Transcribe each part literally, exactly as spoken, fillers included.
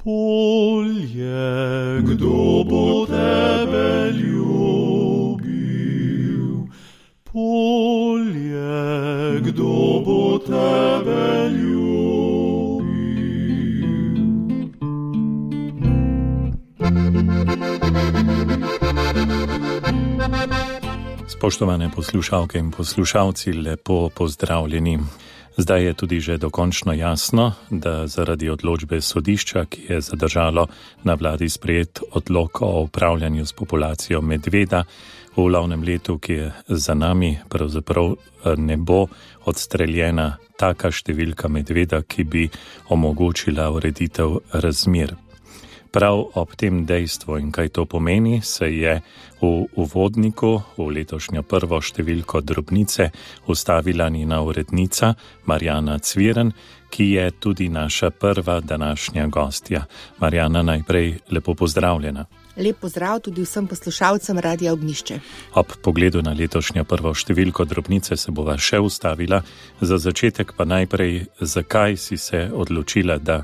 Polje, kdo bo tebe ljubil? Polje, kdo bo tebe ljubil? Spoštovane poslušalke in poslušalci, lepo pozdravljeni. Zdaj je tudi že dokončno jasno, da zaradi odločbe sodišča, ki je zadržalo na vladi sprejet odlok o upravljanju s populacijo medveda v lovnem letu, ki je za nami, pravzaprav ne bo odstreljena taka številka medveda, ki bi omogočila ureditev razmer. Prav ob tem dejstvu in kaj to pomeni, se je v uvodniku v letošnjo prvo številko Drobnice ustavila njena urednica Marjana Cviren, ki je tudi naša prva današnja gostja. Marjana, najprej lepo pozdravljena. Lep pozdrav tudi vsem poslušalcem Radia Ognjišče. Ob pogledu na letošnjo prvo številko Drobnice se bova še ustavila. Za začetek pa najprej, zakaj si se odločila, da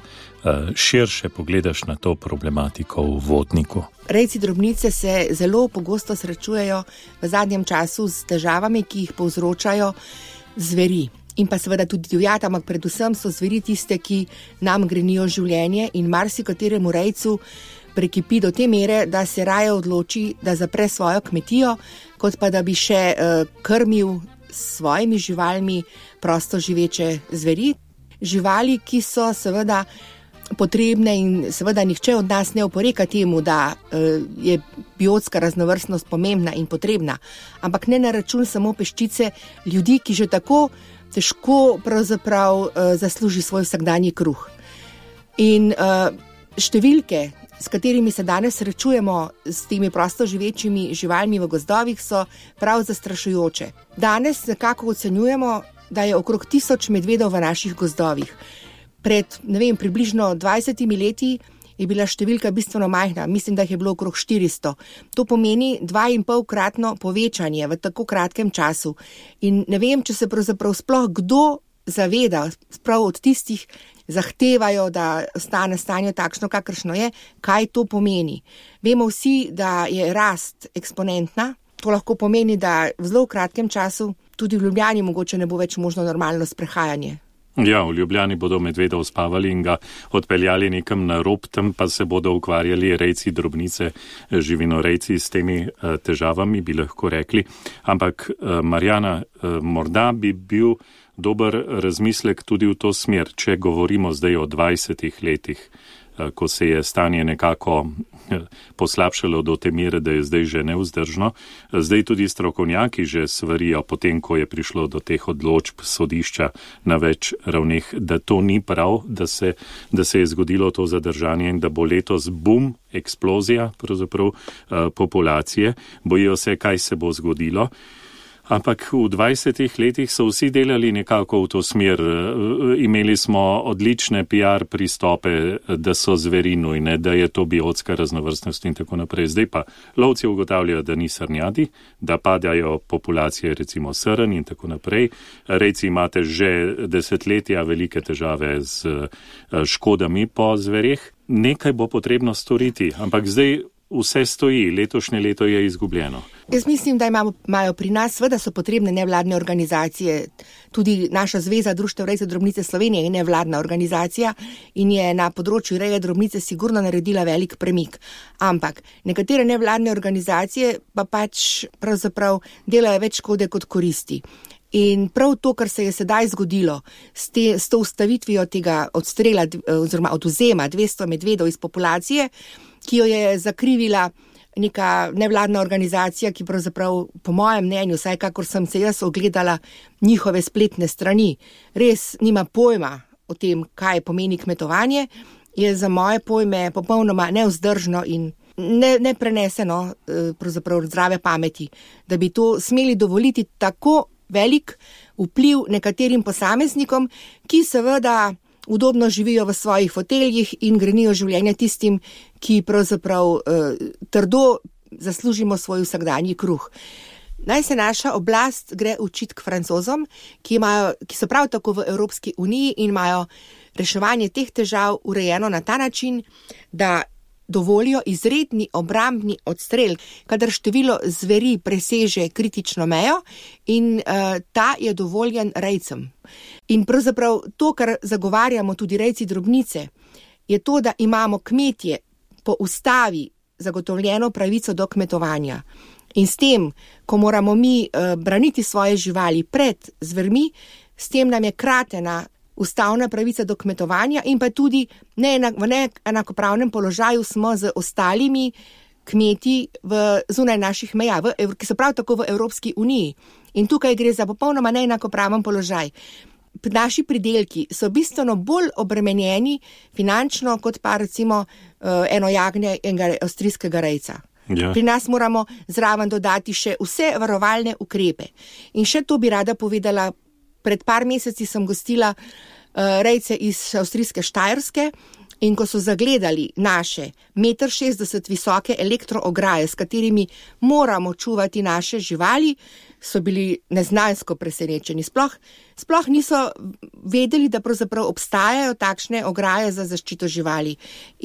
širše pogledaš na to problematiko v vodniku? Rejci drobnice se zelo pogosto srečujejo v zadnjem času s težavami, ki jih povzročajo zveri. In pa seveda tudi divjad, ampak predvsem so zveri tiste, ki nam grenijo življenje in marsikateremu rejcu prekipi do te mere, da se raje odloči, da zapre svojo kmetijo, kot pa da bi še uh, krmil s svojimi živalmi prosto živeče zveri. Živali, ki so seveda potrebne in seveda nihče od nas ne oporeka temu, da uh, je biotska raznovrstnost pomembna in potrebna, ampak ne na račun samo peščice ljudi, ki že tako težko pravzaprav uh, zasluži svoj vsakdanji kruh. In uh, številke, s katerimi se danes srečujemo s temi prosto živečimi živalmi v gozdovih, so prav zastrašujoče. Danes nekako ocenjujemo, da je okrog tisoč medvedov v naših gozdovih. Pred, ne vem, približno dvajsetimi leti je bila številka bistveno majhna, mislim, da jih je bilo okrog štiristo. To pomeni dva in pol kratno povečanje v tako kratkem času. In ne vem, če se pravzaprav sploh kdo zaveda, sprav od tistih zahtevajo, da ostane stanje takšno, kakršno je, kaj to pomeni. Vemo vsi, da je rast eksponentna, to lahko pomeni, da v zelo kratkem času tudi v Ljubljani mogoče ne bo več možno normalno sprehajanje. Ja, v Ljubljani bodo medveda uspavali in ga odpeljali nekam na rob, tam pa se bodo ukvarjali rejci drobnice, živinorejci s temi uh, težavami, bi lahko rekli. Ampak, uh, Marjana, uh, morda bi bil dober razmislek tudi v to smer, če govorimo zdaj o dvajsetih letih, uh, ko se je stanje nekako poslabšalo do te mere, da je zdaj že nevzdržno. Zdaj tudi strokovnjaki že svarijo, potem ko je prišlo do teh odločb sodišča na več ravneh, da to ni prav, da se, da se je zgodilo to zadržanje in da bo letos bum, eksplozija pravzaprav populacije. Bojijo se, kaj se bo zgodilo. Ampak v dvajsetih letih so vsi delali nekako v to smer. Imeli smo odlične P R pristope, da so zveri nujne, da je to biotska raznovrstnost in tako naprej. Zdaj pa lovci ugotavljajo, da ni srnjadi, da padajo populacije recimo srn in tako naprej. Rejci imate že desetletja velike težave z škodami po zvereh. Nekaj bo potrebno storiti, ampak zdaj vse stoji, letošnje leto je izgubljeno. Jaz mislim, da imamo, imajo pri nas, seveda so potrebne nevladne organizacije. Tudi naša Zveza društev rejcev drobnice Slovenije je nevladna organizacija in je na področju reje drobnice sigurno naredila velik premik. Ampak nekatere nevladne organizacije pa pač pravzaprav delajo več škode kot koristi. In prav to, kar se je sedaj zgodilo s, te, s to ustavitvijo tega odstrela oziroma odvzema dvesto medvedov iz populacije, ki jo je zakrivila neka nevladna organizacija, ki pravzaprav po mojem mnenju, vsaj kakor sem se jaz ogledala njihove spletne strani, res nima pojma o tem, kaj pomeni kmetovanje, je za moje pojme popolnoma nevzdržno in ne, nepreneseno pravzaprav zdrave pameti, da bi to smeli dovoliti tako velik vpliv nekaterim posameznikom, ki seveda udobno živijo v svojih foteljih in grenijo življenje tistim, ki pravzaprav eh, trdo zaslužimo svoj vsakdanji kruh. Naj se naša oblast gre učiti k Francozom, ki, imajo, ki so prav tako v Evropski uniji in imajo reševanje teh težav urejeno na ta način, da dovolijo izredni obrambni odstrel, kadar število zveri preseže kritično mejo in uh, ta je dovoljen rejcem. In pravzaprav to, kar zagovarjamo tudi rejci drobnice, je to, da imamo kmetje po ustavi zagotovljeno pravico do kmetovanja. In s tem, ko moramo mi uh, braniti svoje živali pred zvermi, s tem nam je kratena ustavna pravica do kmetovanja in pa tudi neenak, v neenakopravnem položaju smo z ostalimi kmeti v zunaj naših meja, v, ki so prav tako v Evropski uniji. In tukaj gre za popolnoma neenakopraven položaj. Naši pridelki so bistveno bolj obremenjeni finančno kot pa recimo uh, eno jagnje enega avstrijskega rejca. Ja. Pri nas moramo zraven dodati še vse varovalne ukrepe. In še to bi rada povedala. Pred par meseci sem gostila uh, rejce iz avstrijske Štajerske in ko so zagledali naše meter šestdeset visoke elektroograje, s katerimi moramo čuvati naše živali, so bili neznansko presenečeni. Sploh, sploh niso vedeli, da pravzaprav obstajajo takšne ograje za zaščito živali.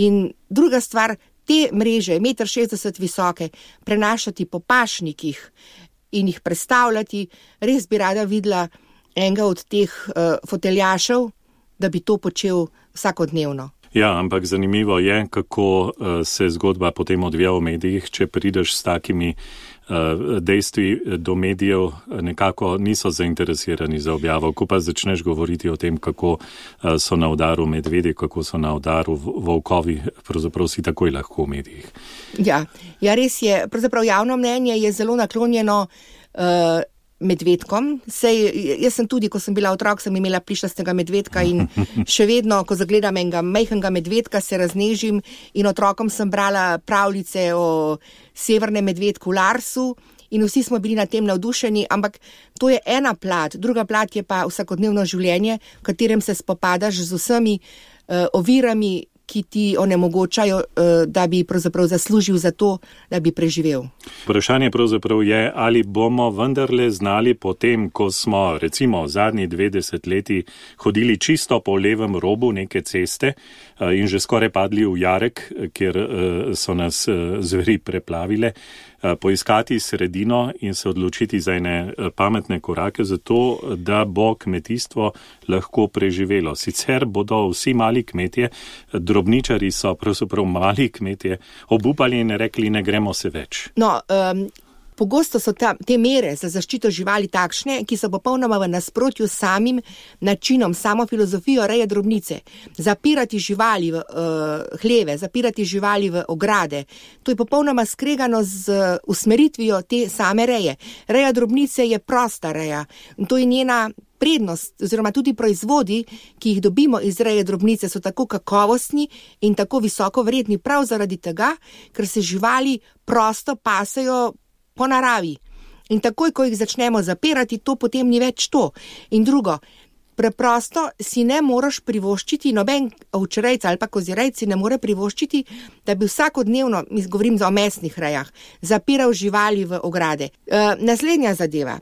In druga stvar, te mreže, meter šestdeset visoke, prenašati po pašnikih in jih prestavljati, res bi rada videla enega od teh uh, foteljašev, da bi to počel vsakodnevno. Ja, ampak zanimivo je, kako uh, se zgodba potem odvija v medijih, če prideš s takimi uh, dejstvi do medijev, nekako niso zainteresirani za objavo. Ko pa začneš govoriti o tem, kako uh, so na udaru medvedi, kako so na udaru volkovi, pravzaprav si takoj lahko v medijih. Ja, ja res je. Pravzaprav javno mnenje je zelo naklonjeno uh, medvedkom. Sej, jaz sem tudi, ko sem bila otrok, sem imela plišastega medvedka in še vedno, ko zagledam enega majhnega medvedka, se raznežim in otrokom sem brala pravljice o severnem medvedku Larsu in vsi smo bili na tem navdušeni, ampak to je ena plat. Druga plat je pa vsakodnevno življenje, v katerem se spopadaš z vsemi uh, ovirami, ki ti onemogočajo, da bi pravzaprav zaslužil za to, da bi preživel. Vprašanje pravzaprav je, ali bomo vendarle znali potem, ko smo recimo zadnji dve desetletji hodili čisto po levem robu neke ceste in že skoraj padli v jarek, kjer so nas zveri preplavile, poiskati sredino in se odločiti za ene pametne korake za to, da bo kmetijstvo lahko preživelo. Sicer bodo vsi mali kmetje, drobničari so pravzaprav mali kmetje, obupali in rekli, ne gremo se več. No, um, pogosto so ta, te mere za zaščito živali takšne, ki so popolnoma v nasprotju s samim načinom, samo filozofijo reje drobnice. Zapirati živali v uh, hleve, zapirati živali v ograde, to je popolnoma skregano z uh, usmeritvijo te same reje. Reja drobnice je prosta reja in to je njena prednost, oziroma tudi proizvodi, ki jih dobimo iz reje drobnice, so tako kakovostni in tako visoko vredni prav zaradi tega, ker se živali prosto pasejo po naravi. In takoj, ko jih začnemo zapirati, to potem ni več to. In drugo, preprosto si ne moraš privoščiti, noben ovčerejc ali pa kozirejc si ne more privoščiti, da bi vsakodnevno, govorim o mesnih rejah, zapiral živali v ograde. E, naslednja zadeva.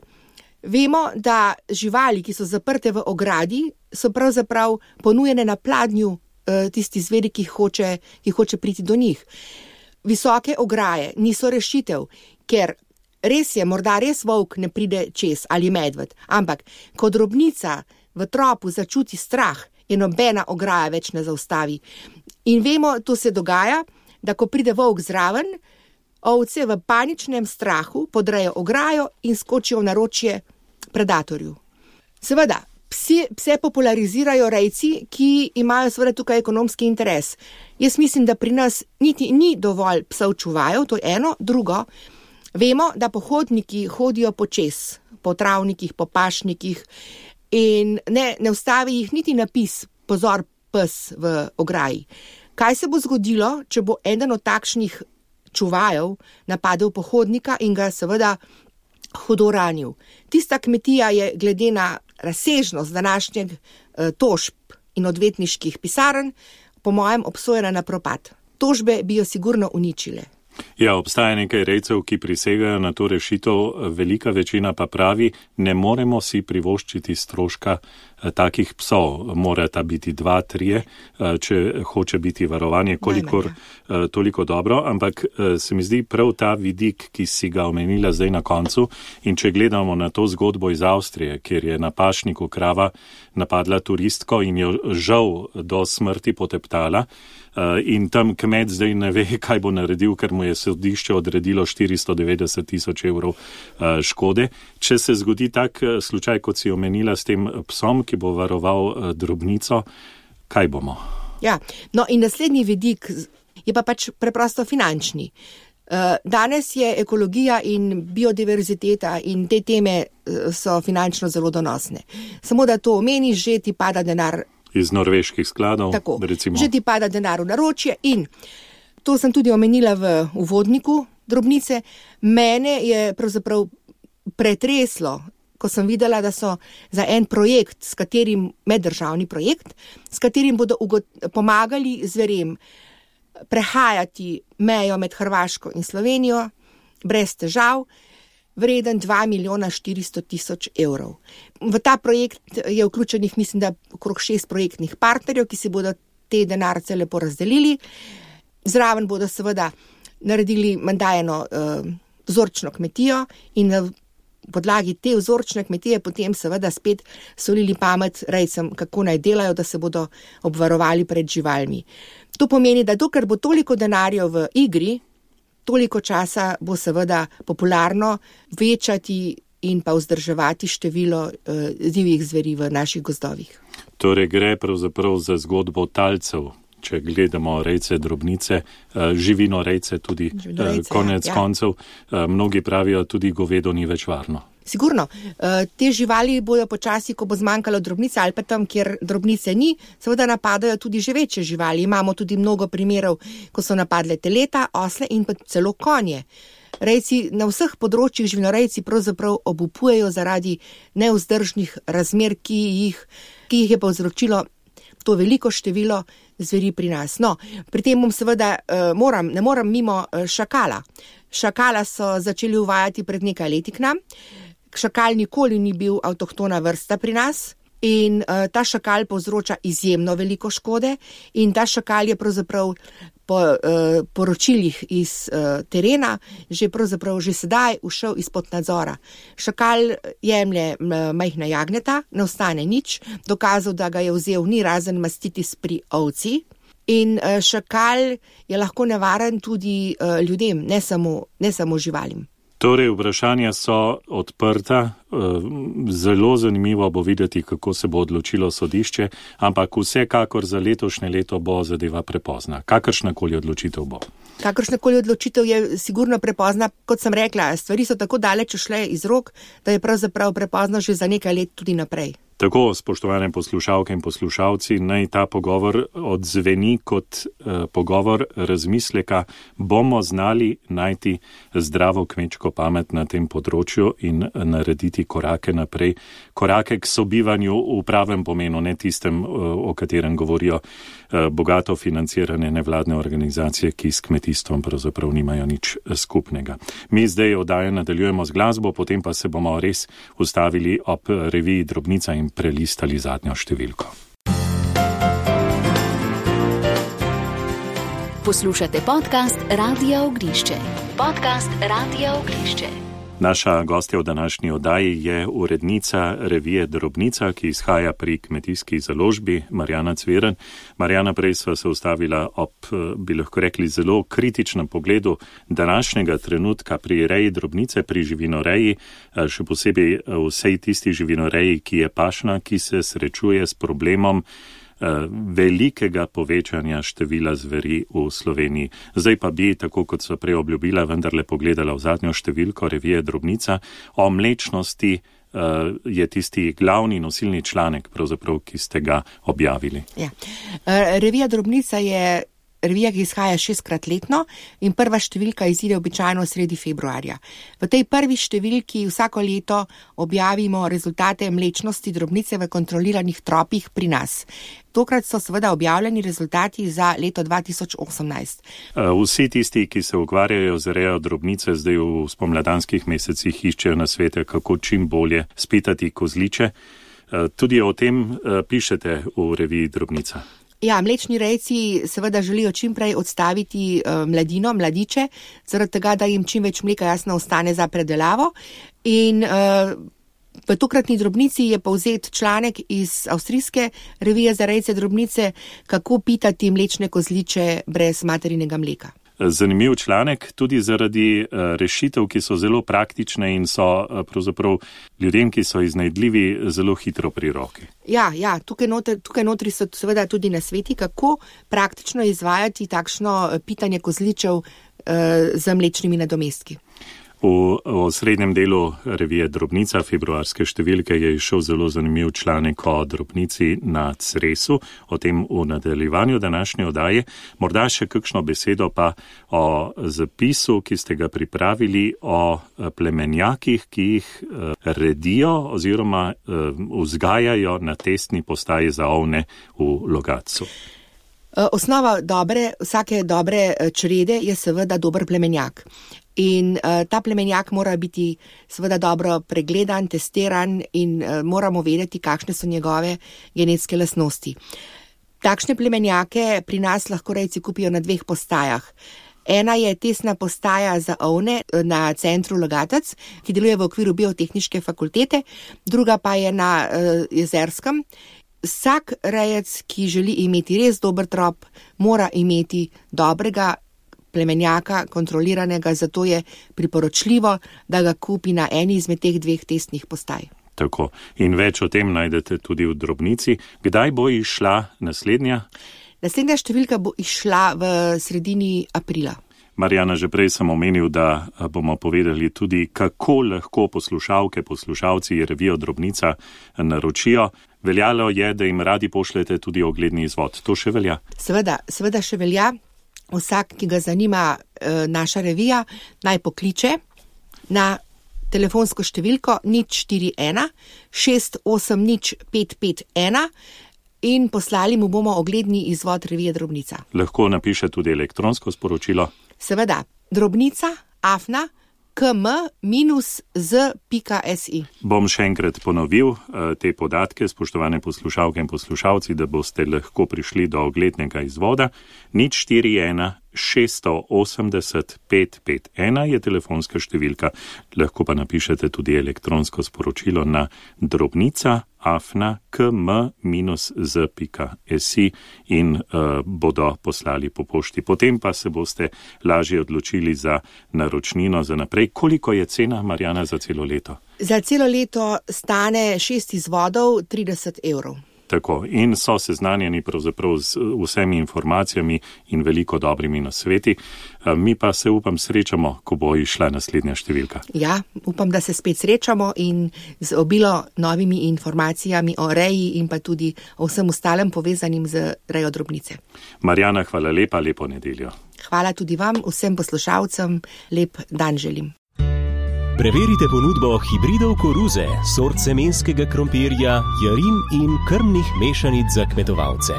Vemo, da živali, ki so zaprte v ogradi, so pravzaprav ponujene na pladnju e, tisti zveri, ki hoče, ki hoče priti do njih. Visoke ograje niso rešitev, ker res je, morda res volk ne pride čez ali medved, ampak ko drobnica v tropu začuti strah, je nobena ograja več ne zaustavi. In vemo, to se dogaja, da ko pride volk zraven, ovce v paničnem strahu podrejo ograjo in skočijo v naročje predatorju. Seveda, psi, pse popularizirajo rejci, ki imajo seveda tukaj ekonomski interes. Jaz mislim, da pri nas niti ni dovolj psov čuvajev, to je eno, drugo. Vemo, da pohodniki hodijo počez, po travnikih, po pašnikih in ne, ne ustavi jih niti napis, pozor pes v ograji. Kaj se bo zgodilo, če bo eden od takšnih čuvajev napadel pohodnika in ga seveda hudo ranil? Tista kmetija je glede na razsežnost današnjeg eh, tožb in odvetniških pisarn po mojem obsojena na propad. Tožbe bi jo sigurno uničile. Ja, obstaja nekaj rejcev, ki prisegajo na to rešitev, velika večina pa pravi, ne moremo si privoščiti stroška takih psov. Morata biti dva, trije, če hoče biti varovanje, kolikor Najmanj, toliko dobro, ampak se mi zdi prav ta vidik, ki si ga omenila zdaj na koncu, in če gledamo na to zgodbo iz Avstrije, kjer je na pašniku krava napadla turistko in jo žal do smrti poteptala, in tam kmet zdaj ne ve, kaj bo naredil, ker mu je sodišče odredilo štiristo devetdeset tisoč evrov škode. Če se zgodi tak slučaj, kot si omenila s tem psom, ki bo varoval drobnico, kaj bomo? Ja, no in naslednji vidik je pa pač preprosto finančni. Danes je ekologija in biodiverziteta in te teme so finančno zelo donosne. Samo da to omeniš, že ti pada denar iz norveških skladov. Tako, recimo. Že ti pada denar v naročje in to sem tudi omenila v uvodniku drobnice. Mene je pravzaprav pretreslo, ko sem videla, da so za en projekt, s katerim, meddržavni projekt, s katerim bodo ugot, pomagali zverem prehajati mejo med Hrvaško in Slovenijo brez težav, vreden dva milijona štiristo tisoč evrov. V ta projekt je vključenih, mislim, da okrog šest projektnih partnerjev, ki si bodo te denarce lepo razdelili. Zraven bodo seveda naredili menda eno uh, vzorčno kmetijo in na podlagi te vzorčne kmetije potem seveda spet solili pamet rejcem, kako naj delajo, da se bodo obvarovali pred živalmi. To pomeni, da dokler bo toliko denarjev v igri, toliko časa bo seveda popularno večati in pa vzdrževati število uh, divjih zveri v naših gozdovih. Torej gre pravzaprav za zgodbo talcev, če gledamo rejce, drobnice, uh, živino rejce tudi, živinorejce, uh, konec ja. koncev. Uh, mnogi pravijo, tudi govedo ni več varno. Sigurno, te živali bojo počasi, ko bo zmanjkalo drobnice ali pa tam, kjer drobnice ni, seveda napadajo tudi že večje živali. Imamo tudi mnogo primerov, ko so napadle teleta, osle in pa celo konje. Rejci na vseh področjih živinorejci pravzaprav obupujejo zaradi nevzdržnih razmer, ki jih, ki jih je povzročilo to veliko število zveri pri nas. No, pri tem bom seveda moram, ne moram mimo šakala. Šakala so začeli uvajati pred nekaj leti k nam. Šakal nikoli ni bil avtohtona vrsta pri nas in uh, ta šakal povzroča izjemno veliko škode in ta šakal je pravzaprav po uh, poročilih iz uh, terena že pravzaprav že sedaj ušel izpod nadzora. Šakal jemlje majhna jagneta, ne ostane nič, dokazal, da ga je vzel ni razen mastitis pri ovci. In uh, šakal je lahko nevaren tudi uh, ljudem, ne samo, ne samo živalim. Torej, vprašanja so odprta, zelo zanimivo bo videti, kako se bo odločilo sodišče, ampak vsekakor za letošnje leto bo zadeva prepozna. Kakršnakoli odločitev bo? Kakršnakoli odločitev je sigurno prepozna, kot sem rekla, stvari so tako daleč ušle iz rok, da je pravzaprav prepozno že za nekaj let tudi naprej. Tako, spoštovane poslušalke in poslušalci, naj ta pogovor odzveni kot eh, pogovor razmisleka, bomo znali najti zdravo kmečko pamet na tem področju in narediti korake naprej, korake k sobivanju v pravem pomenu, ne tistem, o katerem govorijo eh, bogato financirane nevladne organizacije, ki s kmetijstvom pravzaprav nimajo nič skupnega. Mi zdaj oddajo nadaljujemo z glasbo, potem pa se bomo res ustavili ob reviji Drobnica in prelistali zadnjo številko. Poslušate podcast Radia Ognišče. Podcast Radia Ognišče. Naša gostja v današnji oddaji je urednica revije Drobnica, ki izhaja pri Kmetijski založbi, Marjana Cviren. Marjana, prej sva se ustavila ob, bi lahko rekli, zelo kritičnem pogledu današnjega trenutka pri reji drobnice, pri živinoreji, še posebej vsej tisti živinoreji, ki je pašna, ki se srečuje s problemom velikega povečanja števila zveri v Sloveniji. Zdaj pa bi, tako kot so prej obljubila, vendarle pogledala v zadnjo številko revije Drobnica. O mlečnosti uh, je tisti glavni nosilni članek, pravzaprav, ki ste ga objavili. Ja. Uh, revija Drobnica je revija, ki izhaja šestkrat letno in prva številka izide običajno sredi februarja. V tej prvi številki vsako leto objavimo rezultate mlečnosti drobnice v kontroliranih tropih pri nas. Tokrat so seveda objavljeni rezultati za leto dva tisoč osemnajst. Vsi tisti, ki se ukvarjajo z rejo drobnice, zdaj v spomladanskih mesecih iščejo nasvete, kako čim bolje spitati kozliče. Tudi o tem pišete v reviji Drobnica. Ja, mlečni rejci seveda želijo čim prej odstaviti mladino, mladiče, zaradi tega, da jim čim več mleka jasno ostane za predelavo. In v tokratni Drobnici je povzet članek iz avstrijske revije za rejce Drobnice, kako pitati mlečne kozliče brez materinega mleka. Zanimiv članek, tudi zaradi rešitev, ki so zelo praktične in so pravzaprav ljudem, ki so iznajdljivi, zelo hitro pri roki. Ja, ja, tukaj notri, tukaj notri so seveda tudi nasveti, kako praktično izvajati takšno pitanje kozličev eh, z mlečnimi nadomestki. V, v srednjem delu revije Drobnica, februarske številke, je išel zelo zanimiv članek o drobnici na Cresu, o tem v nadaljevanju današnje oddaje. Morda še kakšno besedo pa o zapisu, ki ste ga pripravili, o plemenjakih, ki jih redijo oziroma vzgajajo na testni postaji za ovne v Logatcu. Osnova dobre, vsake dobre črede je seveda dober plemenjak. In uh, ta plemenjak mora biti seveda dobro pregledan, testiran in uh, moramo vedeti, kakšne so njegove genetske lastnosti. Takšne plemenjake pri nas lahko rejci kupijo na dveh postajah. Ena je testna postaja za ovne na centru Logatec, ki deluje v okviru biotehniške fakultete, druga pa je na uh, Jezerskem. Vsak rejec, ki želi imeti res dober trop, mora imeti dobrega plemenjaka, kontroliranega, zato je priporočljivo, da ga kupi na eni izmed teh dveh testnih postaj. Tako. In več o tem najdete tudi v Drobnici. Kdaj bo išla naslednja? Naslednja številka bo išla v sredini aprila. Marjana, že prej sem omenil, da bomo povedali tudi, kako lahko poslušalke, poslušalci revijo Drobnica naročijo. Veljalo je, da jim radi pošljete tudi ogledni izvod. To še velja? Seveda, seveda še velja. Vsak, ki ga zanima e, naša revija, naj pokliče na telefonsko številko nič štiri ena šest osem nič pet pet ena in poslali mu bomo ogledni izvod revije Drobnica. Lahko napiše tudi elektronsko sporočilo. Seveda, drobnica afna km minus z pika si. Bom še enkrat ponovil te podatke, spoštovane poslušalke in poslušalci, da boste lahko prišli do oglednega izvoda. nič štiri ena šest osem nula pet pet ena je telefonska številka. Lahko pa napišete tudi elektronsko sporočilo na drobnica afna km minus z pika si in uh, bodo poslali po pošti. Potem pa se boste lažje odločili za naročnino za naprej. Koliko je cena, Marjana, za celo leto? Za celo leto stane šest izvodov trideset evrov. Tako, in so seznanjeni pravzaprav z vsemi informacijami in veliko dobrimi nasveti. Mi pa se upam srečamo, ko bo išla naslednja številka. Ja, upam, da se spet srečamo in z obilo novimi informacijami o reji in pa tudi o vsem ostalem povezanim z rejo Drobnice. Marjana, hvala lepa, lepo nedeljo. Hvala tudi vam, vsem poslušalcem, lep dan želim. Preverite ponudbo hibridov koruze, sort semenskega krompirja, jarin in krmnih mešanic za kmetovalce.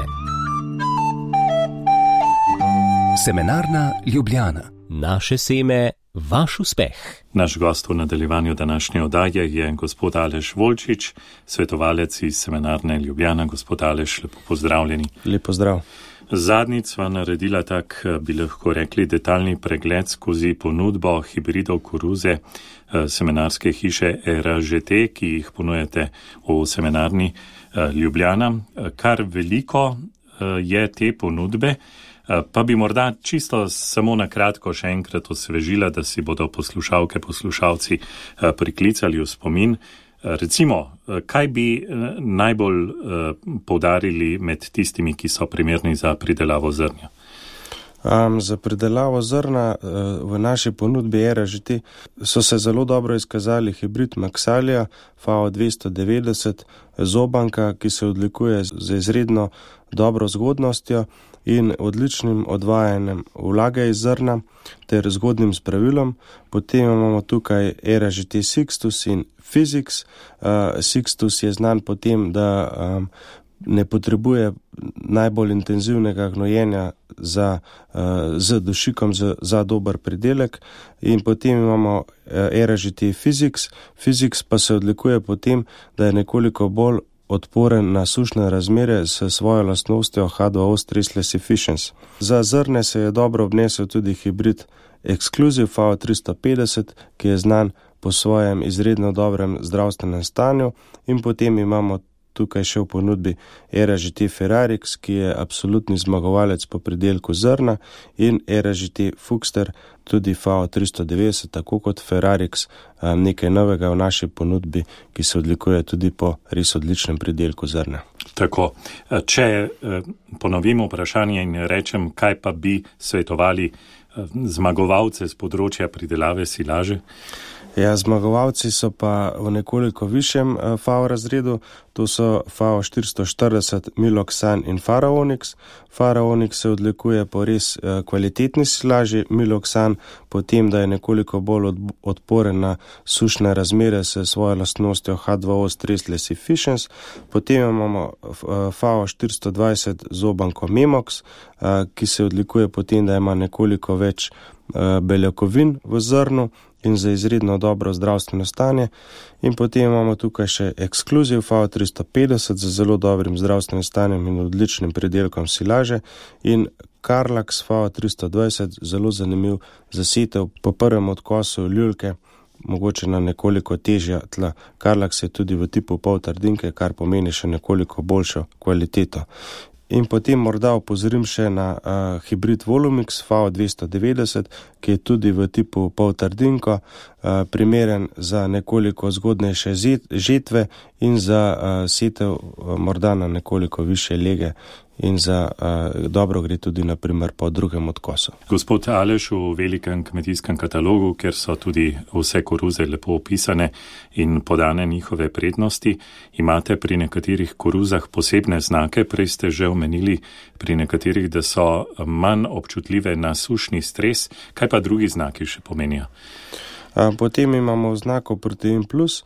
Semenarna Ljubljana. Naše seme, vaš uspeh. Naš gost v nadaljevanju današnje oddaje je gospod Aleš Volčič, svetovalec iz Semenarne Ljubljana. Gospod Aleš, lepo pozdravljeni. Lep pozdrav. Zadnjič sva naredila tak, bi lahko rekli, detaljni pregled skozi ponudbo hibridov koruze semenarske hiše R Ž T, ki jih ponujete v Semenarni Ljubljana. Kar veliko je te ponudbe, pa bi morda čisto samo na kratko še enkrat osvežila, da si bodo poslušalke, poslušalci priklicali v spomin. Recimo, kaj bi najbolj poudarili med tistimi, ki so primerni za pridelavo zrnja? Um, za pridelavo zrna uh, v naši ponudbi R Ž T so se zelo dobro izkazali hibrid Maxalia F A O dvesto devetdeset, zobanka, ki se odlikuje z izredno dobro zgodnostjo in odličnim odvajanjem vlage iz zrna ter zgodnim spravilom. Potem imamo tukaj R Ž T Sixtus in Physics. Uh, Sixtus je znan po tem, da um, ne potrebuje najbolj intenzivnega gnojenja za, uh, z dušikom za, za dober pridelek. In potem imamo uh, R Ž T Physics. Physics pa se odlikuje po tem, da je nekoliko bolj odporen na sušne razmere s svojo lastnostjo H dva O stressless efficiency. Za zrne se je dobro obnesel tudi hibrid Exclusive V O tristo petdeset, ki je znan po svojem izredno dobrem zdravstvenem stanju, in potem imamo tukaj še v ponudbi Era G T Ferrarix, ki je absolutni zmagovalec po pridelku zrna, in Era G T Fuchster, tudi V O tristo devetdeset, tako kot Ferrarix, nekaj novega v naši ponudbi, ki se odlikuje tudi po res odličnem pridelku zrna. Tako, če ponovim vprašanje in rečem, kaj pa bi svetovali zmagovalce z področja pridelave silaže? Ja, zmagovalci so pa v nekoliko višjem F A O razredu, to so F A O štiristo štirideset, Miloxan in Faraonix. Faraonix se odlikuje po res kvalitetni silaži, Miloxan potem, da je nekoliko bolj odporen na sušne razmere s svojo lastnostjo H dva O stressless efficiency. Potem imamo F A O štiristo dvajset zobanko Memox, ki se odlikuje potem, da ima nekoliko več beljakovin v zrnu in za izredno dobro zdravstveno stanje. In potem imamo tukaj še Exclusive V O tristo petdeset z zelo dobrim zdravstvenim stanjem in odličnim pridelkom silaže, in Carlax V O tristo dvajset, zelo zanimiv zasetev po prvem odkosu ljulke, mogoče na nekoliko težja tla. Carlax je tudi v tipu pol trdinke, kar pomeni še nekoliko boljšo kvaliteto. In potem morda opozorim še na uh, hibrid Volumix V O dvesto devetdeset, ki je tudi v tipu pol trdinko, uh, primeren za nekoliko zgodnejše žetve in za uh, setev uh, morda na nekoliko više lege, in za uh, dobro gre tudi naprimer po drugem odkosu. Gospod Aleš, v velikem kmetijskem katalogu, kjer so tudi vse koruze lepo opisane in podane njihove prednosti, imate pri nekaterih koruzah posebne znake, prej ste že omenili pri nekaterih, da so manj občutljive na sušni stres. Kaj pa drugi znaki še pomenijo? Uh, potem imamo znako Protein Plus.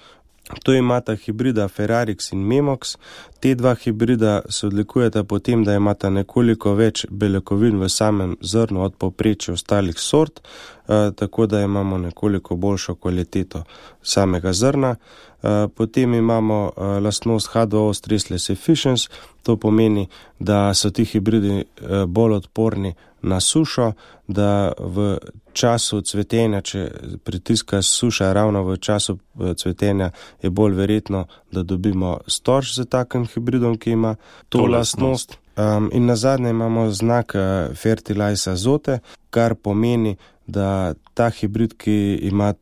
To imata hibrida Ferrarix in Memox. Te dva hibrida se odlikujeta potem, da imata nekoliko več beljakovin v samem zrnu od povprečja ostalih sort, eh, tako da imamo nekoliko boljšo kvaliteto samega zrna. Eh, potem imamo eh, lastnost H dva O stressless efficiency, to pomeni, da so ti hibridi eh, bolj odporni na sušo, da v času cvetenja, če pritiska suša ravno v času cvetenja, je bolj verjetno, da dobimo storž z takim hibridom, ki ima to, to lastnost. Um, in nazadnje imamo znak uh, Fertilize Azote, kar pomeni, da ta hibrid, ki ima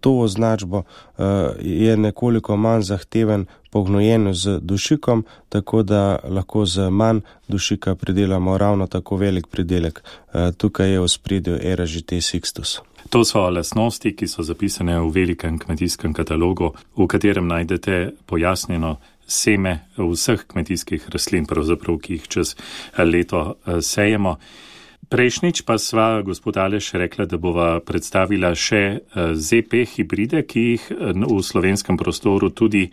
to označbo, uh, je nekoliko manj zahteven po gnojenju z dušikom, tako da lahko z manj dušika pridelamo ravno tako velik pridelek. Uh, tukaj je v ospredju Era G T Sixtus. To so lastnosti, ki so zapisane v velikem kmetijskem katalogu, v katerem najdete pojasnjeno seme vseh kmetijskih rastlin, pravzaprav, ki jih čez leto sejemo. Prejšnjič pa sva, gospod Aleš, rekla, da bova predstavila še Z P hibride, ki jih v slovenskem prostoru tudi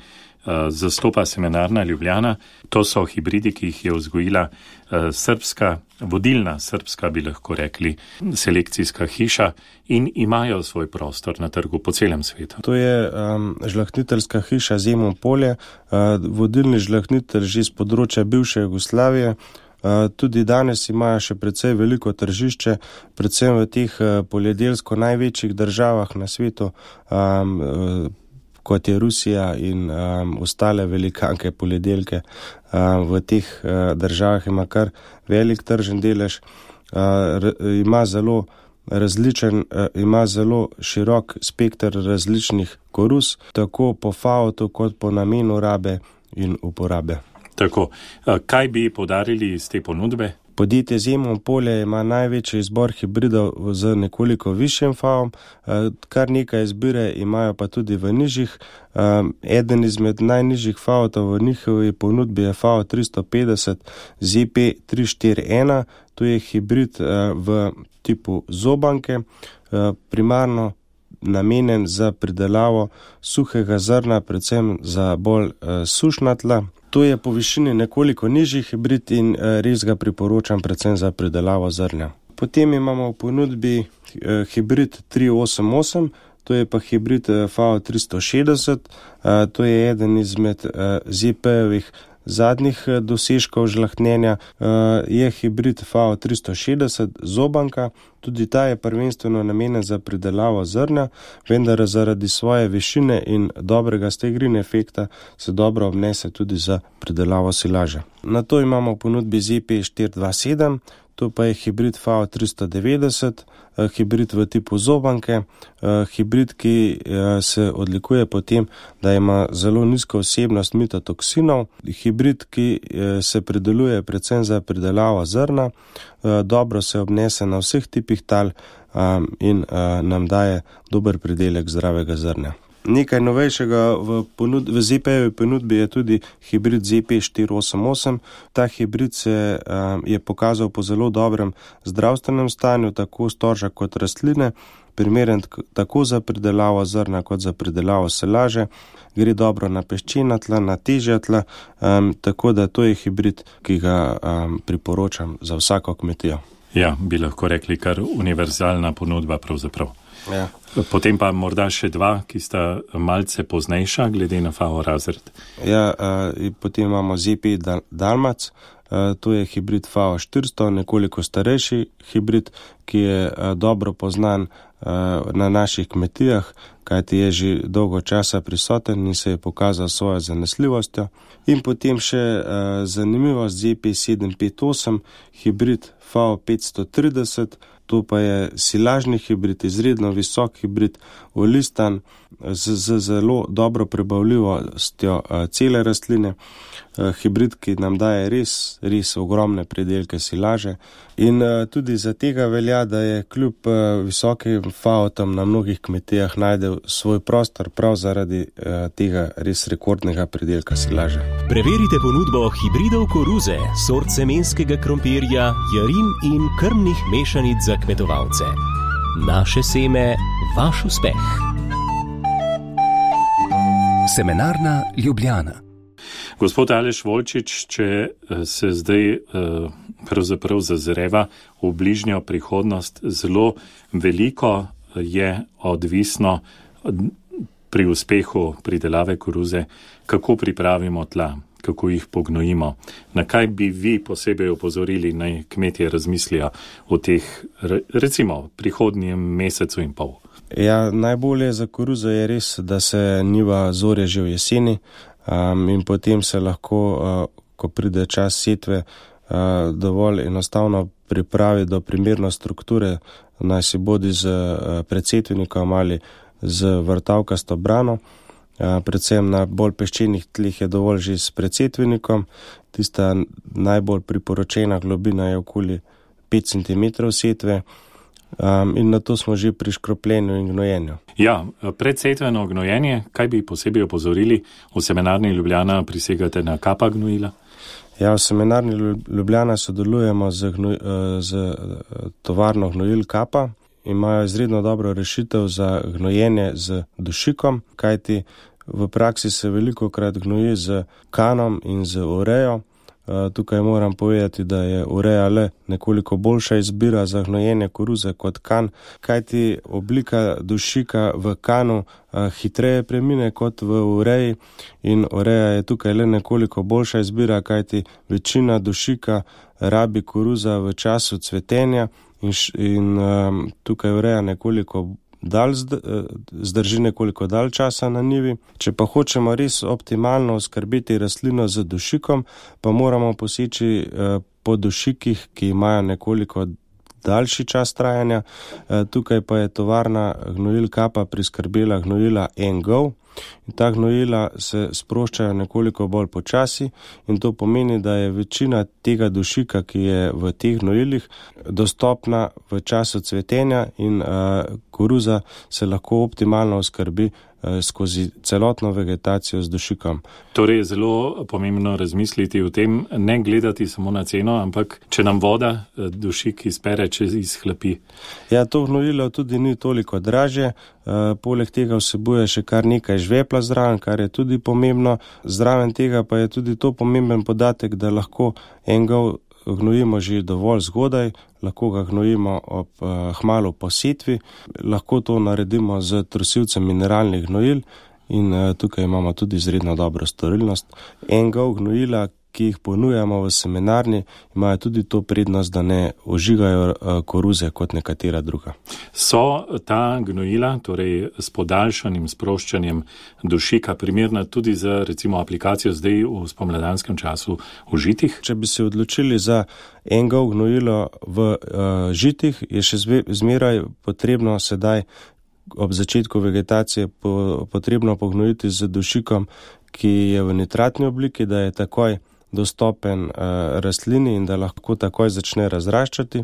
zastopa Semenarna Ljubljana. To so hibridi, ki jih je vzgojila srbska, vodilna srbska, bi lahko rekli, selekcijska hiša in imajo svoj prostor na trgu po celem svetu. To je um, žlahtniteljska hiša Zemun Polje, uh, vodilni žlahtnitelj že z področja bivše Jugoslavije. Uh, tudi danes imajo še precej veliko tržišče, predvsem v teh uh, poljedelsko največjih državah na svetu, um, uh, kot je Rusija in um, ostale velikanke poljedelke. Um, v teh uh, državah ima kar velik tržen delež, uh, r, ima zelo različen, uh, ima zelo širok spekter različnih koruz, tako po faotu kot po namenu rabe in uporabe. Tako, kaj bi podarili iz te ponudbe? Podjetje Zemun Polje ima največji izbor hibridov z nekoliko višjim faom, kar nekaj izbire imajo pa tudi v nižjih. Eden izmed najnižjih faotov v njihovi ponudbi je F O tristo petdeset Z P tri štiri ena, to je hibrid v tipu zobanke, primarno namenjen za pridelavo suhega zrna, predvsem za bolj sušna tla. To je po višini nekoliko nižji hibrid in res ga priporočam predvsem za pridelavo zrnja. Potem imamo v ponudbi hibrid tri osem osem, to je pa hibrid F A O tristo šestdeset, to je eden izmed Z P-jevih zadnjih dosežkov žlahtnjenja, je hibrid F A O tristo šestdeset zobanka, tudi ta je prvenstveno namenjen za pridelavo zrnja, vendar zaradi svoje višine in dobrega stegrin efekta se dobro obnese tudi za pridelavo silaže. Na to imamo v ponudbi Z P štiri dva sedem, to pa je hibrid F A O tristo devetdeset, hibrid v tipu zobanke, hibrid, ki se odlikuje po tem, da ima zelo nizko vsebnost mitotoksinov, hibrid, ki se prideluje predvsem za pridelavo zrna, dobro se obnese na vseh tipih tal in nam daje dober pridelek zdravega zrnja. Nekaj novejšega v, ponud, v Z P-jevi ponudbi je tudi hibrid Z P štiri osem osem. Ta hibrid se um, je pokazal po zelo dobrem zdravstvenem stanju, tako storža kot rastline, primeren tako za pridelavo zrna kot za pridelavo silaže, gre dobro na peščena tla, na težja tla, um, tako da to je hibrid, ki ga um, priporočam za vsako kmetijo. Ja, bi lahko rekli kar univerzalna ponudba pravzaprav. Ja. Potem pa morda še dva, ki sta malce poznejša, glede na F A O razred. Ja, uh, potem imamo Z P Dal- Dalmac, uh, to je hibrid F A O štiristo, nekoliko starejši hibrid, ki je uh, dobro poznan uh, na naših kmetijah, kajti je že dolgo časa prisoten in se je pokazal svojo zanesljivostjo. In potem še uh, zanimivost Z P sedem pet osem, hibrid F A O petsto trideset, to pa je silažni hibrid, izredno visok hibrid, olistan, z, z zelo dobro prebavljivostjo uh, cele rastline, uh, hibrid, ki nam daje res, res ogromne pridelke silaže. In uh, tudi za tega velja, da je kljub uh, visokim F A O-tom na mnogih kmetijah najdel svoj prostor prav zaradi uh, tega res rekordnega pridelka silaže. Preverite ponudbo hibridov koruze, sort semenskega krompirja, jarin in krmnih mešanic za kmetovalce. Naše seme, vaš uspeh. Semenarna Ljubljana. Gospod Aleš Volčič, če se zdaj pravzaprav zazreva v bližnjo prihodnost, zelo veliko je odvisno pri uspehu pridelave koruze, kako pripravimo tla, kako jih pognojimo. Na kaj bi vi posebej opozorili, naj kmetje razmislijo v teh, recimo, prihodnjem mesecu in pol? Ja, najbolje za koruzo je res, da se njiva zorje že v jeseni um, in potem se lahko, uh, ko pride čas setve, uh, dovolj enostavno pripravi do primerne strukture, naj si bodi z uh, predsetvenikom ali z vrtavkasto brano. Uh, predvsem na bolj peščenih tleh je dovolj že s predsetvenikom. Tista najbolj priporočena globina je okoli pet centimetrov setve. Um, in na to smo že pri škropljenju in gnojenju. Ja, predsetveno gnojenje, kaj bi posebej opozorili? V Semenarni Ljubljana prisegate na kapa gnojila? Ja, v Semenarni Ljubljana sodelujemo z, gnoj, z tovarno gnojil Kapa. Imajo izredno dobro rešitev za gnojenje z dušikom, kajti v praksi se veliko krat gnoji z kanom in z urejo. Tukaj moram povedati, da je ureja le nekoliko boljša izbira za gnojenje koruze kot kan, kajti oblika dušika v kanu hitreje premine kot v ureji in ureja je tukaj le nekoliko boljša izbira, kajti večina dušika rabi koruza v času cvetenja in, in um, tukaj ureja nekoliko dalj zdrži nekoliko dalj časa na njivi. Če pa hočemo res optimalno oskrbeti rastlino z dušikom, pa moramo poseči po dušikih, ki imajo nekoliko daljši čas trajanja. Tukaj pa je tovarna gnojil Kapa priskrbela gnojila N-Go. In ta gnojila se sproščajo nekoliko bolj počasi in to pomeni, da je večina tega dušika, ki je v teh gnojilih, dostopna v času cvetenja in uh, koruza se lahko optimalno oskrbi uh, skozi celotno vegetacijo z dušikom. Torej je zelo pomembno razmisliti o tem, ne gledati samo na ceno, ampak če nam voda dušik izpere, če izhlapi. Ja, to gnojilo tudi ni toliko dražje, uh, poleg tega vsebuje še kar nekaj žvepla zraven, kar je tudi pomembno. Zraven tega pa je tudi to pomemben podatek, da lahko N-Go gnojimo že dovolj zgodaj, lahko ga gnojimo ob uh, hmalu po setvi, lahko to naredimo z trosilcem mineralnih gnojil in uh, tukaj imamo tudi izredno dobro storilnost. En gov gnojila, ki jih ponujamo v semenarni, imajo tudi to prednost, da ne ožigajo koruze kot nekatera druga. So ta gnojila, torej s podaljšanim sproščanjem dušika, primerna tudi za recimo aplikacijo zdaj v spomladanskem času v žitih? Če bi se odločili za en gov gnojilo v uh, žitih, je še zmeraj potrebno sedaj ob začetku vegetacije po, potrebno pognojiti z dušikom, ki je v nitratni obliki, da je takoj dostopen uh, rastlini in da lahko takoj začne razraščati.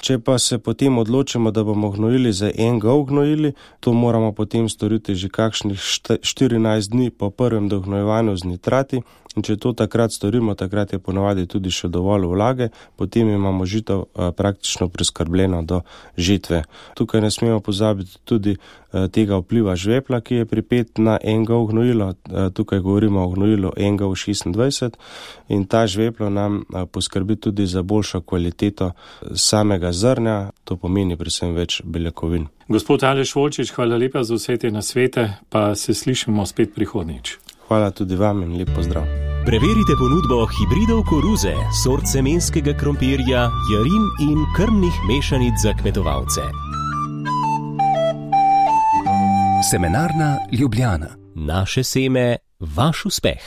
Če pa se potem odločimo, da bomo gnojili za en gov gnojili, to moramo potem storiti že kakšnih štirinajst dni po prvem dognojevanju z nitrati. In če to takrat storimo, takrat je ponavadi tudi še dovolj vlage, potem imamo žito uh, praktično preskrbljeno do žetve. Tukaj ne smemo pozabiti tudi uh, tega vpliva žvepla, ki je pripet na en gov gnojilo. Uh, tukaj govorimo o gnojilu en gov šestindvajset in ta žveplo nam uh, poskrbi tudi za boljšo kvaliteto samega zrnja, to pomeni predvsem več beljakovin. Gospod Aleš Volčič, hvala lepa za vse te nasvete, pa se slišimo spet prihodnjič. Hvala tudi vam in lep pozdrav. Preverite ponudbo hibridov koruze, sort semenskega krompirja, jarin in krmnih mešanic za kmetovalce. Semenarna Ljubljana. Naše seme, vaš uspeh.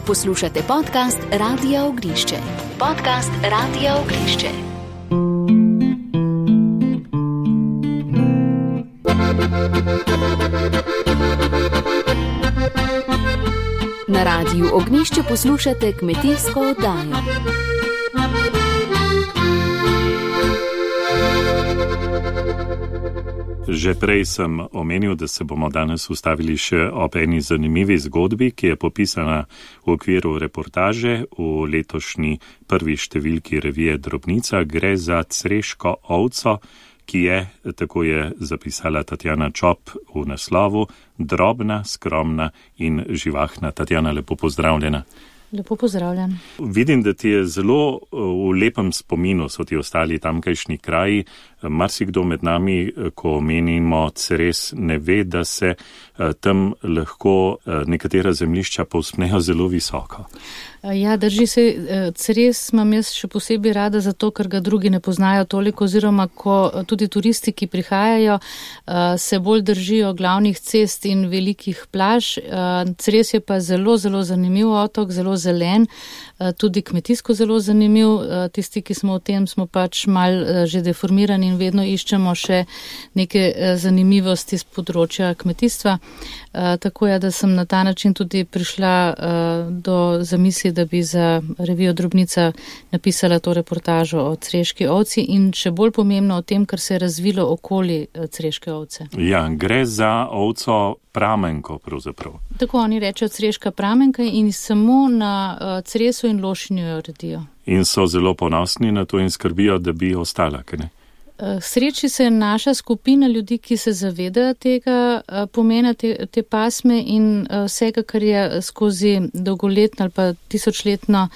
Poslušate podcast Radia Ognišče. Podcast Radia Ognišče. Na Radiju Ognišče poslušate kmetijsko oddajo. Že prej sem omenil, da se bomo danes ustavili še ob eni zanimivi zgodbi, ki je popisana v okviru reportaže v letošnji prvi številki revije Drobnica. Gre za creško ovco, ki je, tako je zapisala Tatjana Čop v naslovu, drobna, skromna in živahna. Tatjana, lepo pozdravljena. Lepo pozdravljen. Vidim, da ti je zelo v lepem spominu so ti ostali tamkajšnji kraji. Marsikdo med nami, ko omenimo Ceres, ne ve, da se tam lahko nekatera zemljišča povzpnejo zelo visoko. Ja, drži se, Ceres imam jaz še posebej rada zato, ker ga drugi ne poznajo toliko, oziroma ko tudi turisti, ki prihajajo, se bolj držijo glavnih cest in velikih plaž. Ceres je pa zelo, zelo zanimiv otok, zelo zelen, tudi kmetijsko zelo zanimiv. Tisti, ki smo v tem, smo pač mal že deformirani in vedno iščemo še neke zanimivosti z področja kmetijstva. Tako je, da sem na ta način tudi prišla do zamisli, da bi za revijo Drobnica napisala to reportažo o creški ovci in še bolj pomembno o tem, kar se je razvilo okoli creške ovce. Ja, gre za ovco pramenko pravzaprav. Tako oni rečejo creška pramenka in samo na Cresu in Lošinju jo redijo. In so zelo ponosni na to in skrbijo, da bi ostala, kaj ne? Sreči se naša skupina ljudi, ki se zavedajo tega pomena te, te pasme in vsega, kar je skozi dolgoletno ali pa tisočletno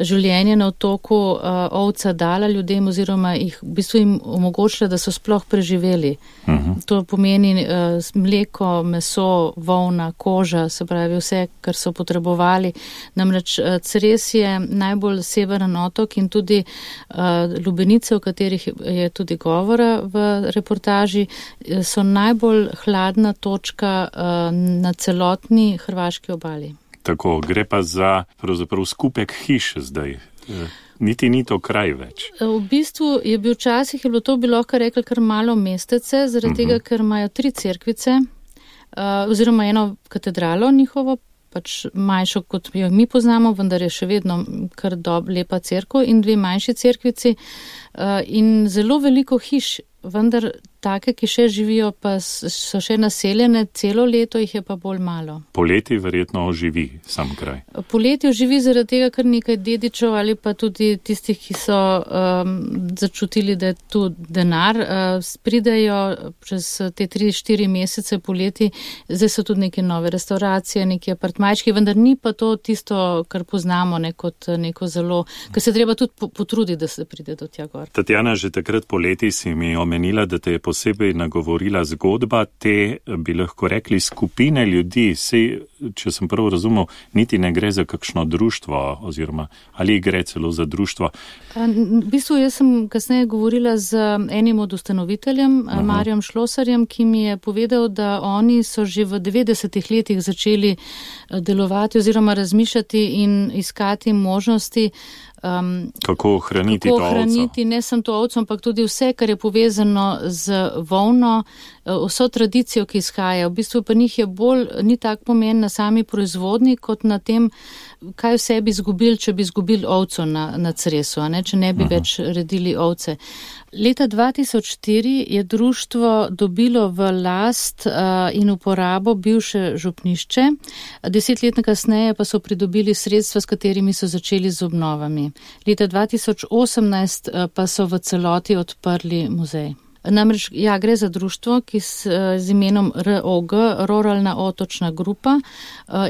življenje na otoku ovca dala ljudem oziroma jih v bistvu jim omogočila, da so sploh preživeli. Uh-huh. To pomeni mleko, meso, volna, koža, se pravi vse, kar so potrebovali. Namreč Ceres je najbolj severen otok in tudi Lubenice, o katerih je tudi govora v reportaži, so najbolj hladna točka na celotni hrvaški obali. Tako, gre pa za pravzaprav skupek hiš zdaj. Niti ni to kraj več. V bistvu je bil včasih, je bilo to bi lahko rekli kar malo mestece, zaradi uh-huh. tega, ker imajo tri cerkvice, oziroma eno katedralo njihovo, pač manjšo, kot jo mi poznamo, vendar je še vedno kar dob, lepa cerkev in dve manjši cerkvici in zelo veliko hiš, vendar take, ki še živijo, pa so še naseljene, celo leto jih je pa bolj malo. Poleti verjetno oživi sam kraj. Poleti oživi zaradi tega, ker nekaj dedičev ali pa tudi tistih, ki so um, začutili, da je tu denar, uh, pridejo čez te tri, štiri mesece poleti, zdaj so tudi neke nove restauracije, neki apartmajčki, vendar ni pa to tisto, kar poznamo ne, kot neko zelo, ker se treba tudi potruditi, da se pride do tja gor. Tatjana, že takrat poleti si mi omenila, da te je posebej nagovorila zgodba te, bi lahko rekli, skupine ljudi. Sej, če sem prvo razumel, niti ne gre za kakšno društvo oziroma ali gre celo za društvo. V bistvu jaz sem kasneje govorila z enim od ustanoviteljem, Aha. Marjom Šlosarjem, ki mi je povedal, da oni so že v devetdesetih letih začeli delovati oziroma razmišljati in iskati možnosti, Um, kako ohraniti kako to ohraniti, ovco? Ne samo to ovco, ampak tudi vse, kar je povezano z volno, vso tradicijo, ki izhaja. V bistvu pa njih je bolj, ni tak pomen na sami proizvodni, kot na tem, kaj vse bi izgubili, če bi izgubili ovco na, na Cresu, a ne, če ne bi uh-huh. več redili ovce. Leta dva tisoč štiri je društvo dobilo v last uh, in uporabo bivše župnišče, deset let kasneje pa so pridobili sredstva, s katerimi so začeli z obnovami. Leta dva tisoč osemnajst uh, pa so v celoti odprli muzej. Namreč, ja, gre za društvo, ki s, z imenom R O G, Ruralna otočna grupa,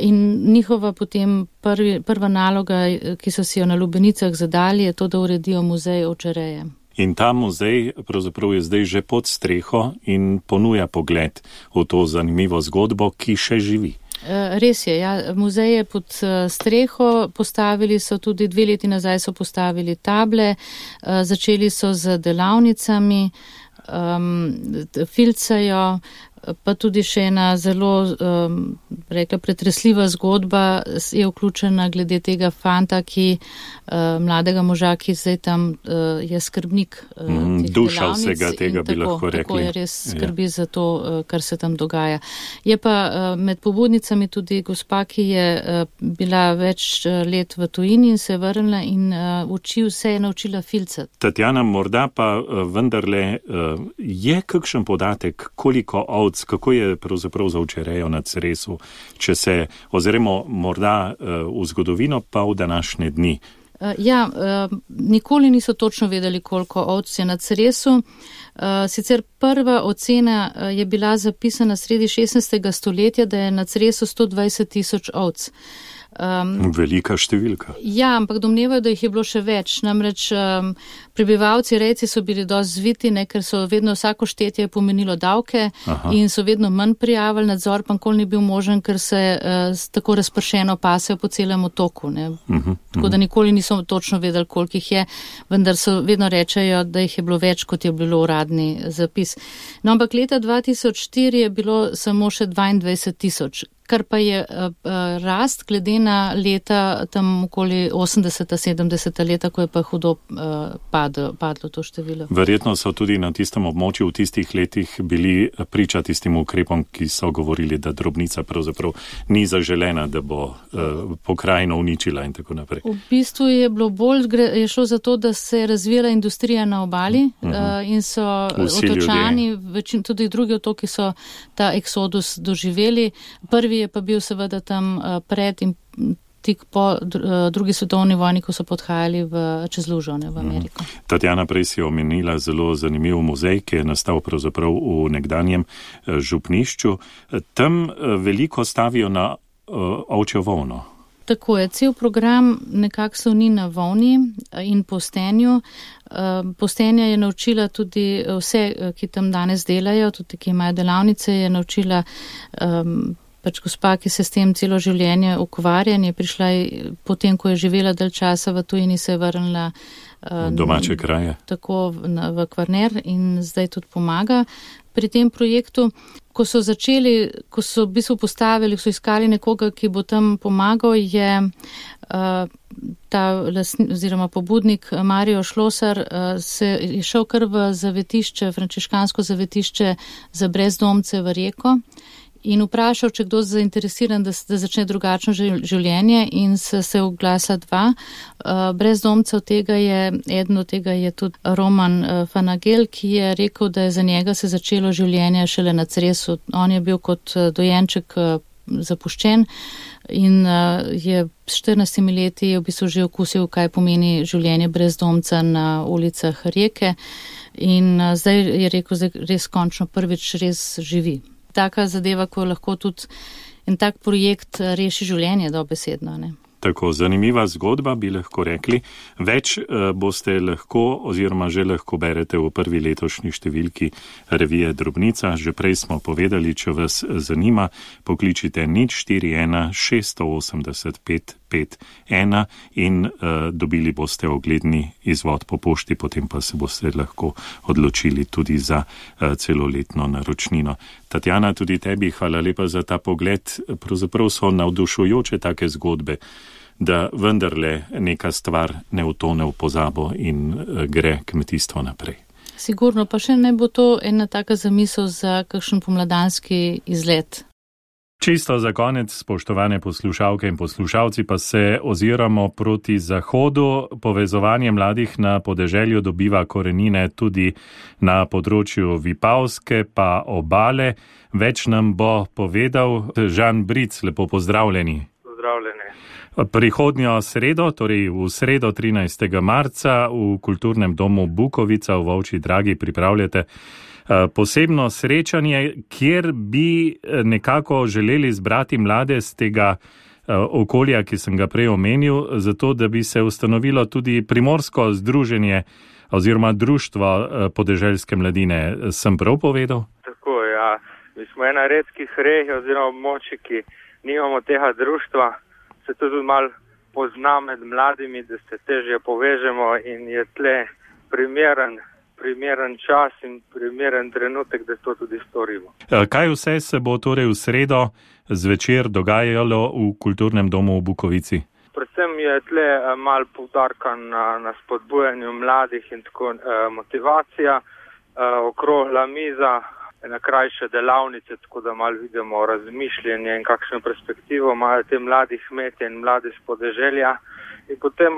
in njihova potem prvi, prva naloga, ki so si jo na Lubenicah zadali, je to, da uredijo muzej ovčereje. In ta muzej pravzaprav je zdaj že pod streho in ponuja pogled v to zanimivo zgodbo, ki še živi. Res je, ja, muzej je pod streho, postavili so tudi dve leti nazaj so postavili table, začeli so z delavnicami, um, filcajo, pa tudi še ena zelo um, rekla, pretresljiva zgodba je vključena glede tega fanta, ki uh, mladega moža, ki zdaj tam uh, je skrbnik uh, mm, duša vsega tega bi tako, lahko rekli. Tako je res skrbi ja. za to, uh, kar se tam dogaja. Je pa uh, med pobudnicami tudi gospa, ki je uh, bila več uh, let v tujini in se je vrnila in uh, uči, vse je naučila filcati. Tatjana, morda pa uh, vendarle uh, je kakšen podatek, koliko ovc, kako je pravzaprav za ovčerejo na Cresu, če se oziremo morda uh, v zgodovino pa v današnje dni? Uh, ja, uh, nikoli niso točno vedeli, koliko ovc je na Cresu. Uh, sicer prva ocena uh, je bila zapisana sredi šestnajstega stoletja, da je na Cresu sto dvajset tisoč ovc. Um, Velika številka. Ja, ampak domnevajo, da jih je bilo še več. Namreč um, prebivalci, rejci so bili dosti zviti, ne, ker so vedno vsako štetje pomenilo davke Aha. in so vedno manj prijavili, nadzor pa nikoli ni bil možen, ker se uh, tako razpršeno pasejo po celem otoku. Ne. Uh-huh, tako da nikoli niso točno vedeli, koliko jih je, vendar so vedno rečejo, da jih je bilo več, kot je bilo uradni zapis. No, ampak leta dva tisoč štiri je bilo samo še dvaindvajset tisoč. Kar pa je uh, rast glede na leta tam okoli osemdeseta, sedemdeseta leta, ko je pa hudo uh, padlo, padlo to število. Verjetno so tudi na tistem območju v tistih letih bili priča tistim ukrepom, ki so govorili, da drobnica pravzaprav ni zaželena, da bo uh, pokrajino uničila in tako naprej. V bistvu je bilo bolj, je šlo za to, da se je razvijala industrija na obali uh-huh. uh, in so Vsi otočani, večin, tudi drugi otoki so ta eksodus doživeli. Prvi je pa bil seveda tam pred in tik po drugi svetovni vojni, ko so podhajali v, čez lužo, ne, v Ameriko. Mm. Tatjana, prej si omenila zelo zanimiv muzej, ki je nastal pravzaprav v nekdanjem župnišču. Tam veliko stavijo na ovčjo volno. Tako je, cel program nekako sloni na volni in postenju. Postenja je naučila tudi vse, ki tam danes delajo, tudi ki imajo delavnice, je naučila um, pač gospa, ki se s tem celo življenje ukvarja, je prišla potem, ko je živela dalj časa v tujini, se je vrnila uh, domače kraje. Tako v, v Kvarner in zdaj tudi pomaga pri tem projektu. Ko so začeli, ko so v bistvu postavili, so iskali nekoga, ki bo tam pomagal, je uh, ta lasni, oziroma pobudnik Marijo Šlosar uh, se je šel kar v zavetišče, frančiškansko zavetišče za brezdomce v Reko. in vprašal, če kdo zainteresiran, da, da začne drugačno življenje in se, se oglasa dva. Brezdomcev tega je, eden od tega je tudi Roman Fanagel, ki je rekel, da je za njega se začelo življenje šele na Cresu. On je bil kot dojenček zapuščen in je s štirinajstimi leti v bistvu že okusil, kaj pomeni življenje brezdomca na ulicah Rijeke in zdaj je rekel, da res končno prvič res živi. Taka zadeva, ko lahko tudi en tak projekt reši življenje dobesedno, ne? Tako zanimiva zgodba, bi lahko rekli. Več uh, boste lahko oziroma že lahko berete v prvi letošnji številki revije Drobnica. Že prej smo povedali, če vas zanima, pokličite nič štiri ena šest osem nula pet pet ena in uh, dobili boste ogledni izvod po pošti, potem pa se boste lahko odločili tudi za uh, celoletno naročnino. Tatjana, tudi tebi hvala lepa za ta pogled. Pravzaprav so navdušujoče take zgodbe, da vendarle neka stvar ne utone v pozabo in gre kmetijstvo naprej. Sigurno, pa še ne bo to ena taka zamisel za kakšen pomladanski izlet. Čisto za konec, spoštovane poslušalke in poslušalci, pa se oziramo proti zahodu. Povezovanje mladih na podeželju dobiva korenine tudi na področju Vipavske pa Obale. Več nam bo povedal Žan Bric. Lepo pozdravljeni. Pozdravljeni. Prihodnjo sredo, torej v sredo trinajstega marca v Kulturnem domu Bukovica v Volčji Dragi pripravljate posebno srečanje, kjer bi nekako želeli zbrati mlade z tega okolja, ki sem ga prej omenil, zato da bi se ustanovilo tudi primorsko združenje oziroma društvo podeželske mladine. Sem prav povedal? Tako, ja. Mi smo ena redkih regij oziroma območij, ki nimamo tega društva. Se tudi malo pozna med mladimi, da se težje povežemo in je tle primeren primeren čas in primeren trenutek, da to tudi storimo. Kaj vse se bo torej v sredo zvečer dogajalo v Kulturnem domu v Bukovici? Predvsem je tle malo poudarka na, na spodbujanju mladih in tako eh, motivacija, eh, okrogla miza, ena krajše delavnice, tako da malo vidimo razmišljanje in kakšno perspektivo imajo te mladi kmetje in mladi s podeželja in potem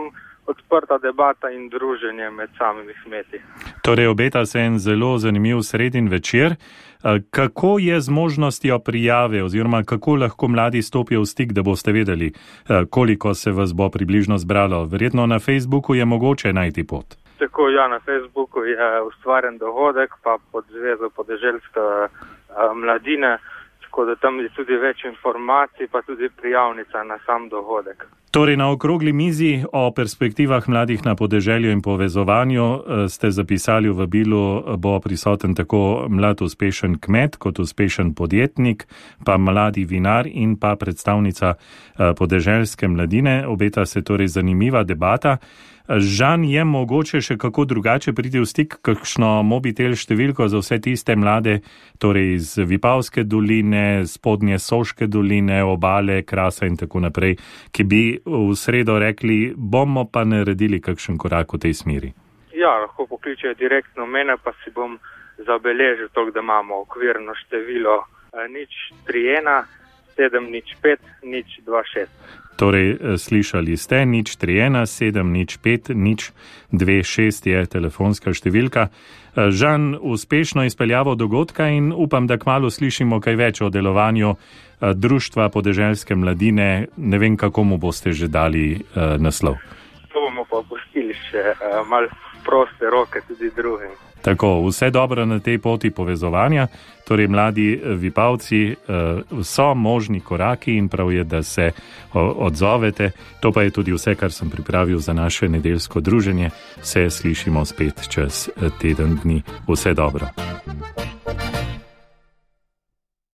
odprta debata in druženje med samimi kmeti. Torej obeta se en zelo zanimiv sredin večer. Kako je z možnostjo prijave oziroma kako lahko mladi stopijo v stik, da boste vedeli, koliko se vas bo približno zbralo? Verjetno na Facebooku je mogoče najti pot. Tako, ja, na Facebooku je ustvarjen dogodek, pa pod Zvezo podeželske mladine, tako da tam je tudi več informacij, pa tudi prijavnica na sam dogodek. Torej, na okrogli mizi o perspektivah mladih na podeželju in povezovanju ste zapisali v vabilu, bo prisoten tako mlad uspešen kmet kot uspešen podjetnik, pa mladi vinar in pa predstavnica podeželske mladine. Obeta se torej zanimiva debata. Žan, je mogoče še kako drugače priti v stik, kakšno mobitel številko za vse tiste mlade, torej iz Vipavske doline, spodnje Soške doline, Obale, Krasa in tako naprej, ki bi v sredo rekli, bomo pa naredili kakšen korak v tej smeri? Ja, lahko pokličejo direktno mene, pa si bom zabeležil to, da imamo okvirno število nič tri ena sedem nič pet nič dva šest. Torej, slišali ste, nič tri ena sedem nič pet nič dva šest je telefonska številka. Žan, uspešno izpeljavo dogodka in upam, da kmalu slišimo kaj več o delovanju Društva podeželske mladine. Ne vem, kako mu boste že dali uh, naslov. To bomo pa pustili še uh, malo proste roke tudi drugim. Tako, vse dobro na tej poti povezovanja, torej mladi Vipavci, so možni koraki in prav je, da se odzovete. To pa je tudi vse, kar sem pripravil za naše nedeljsko druženje. Se slišimo spet čez teden dni. Vse dobro.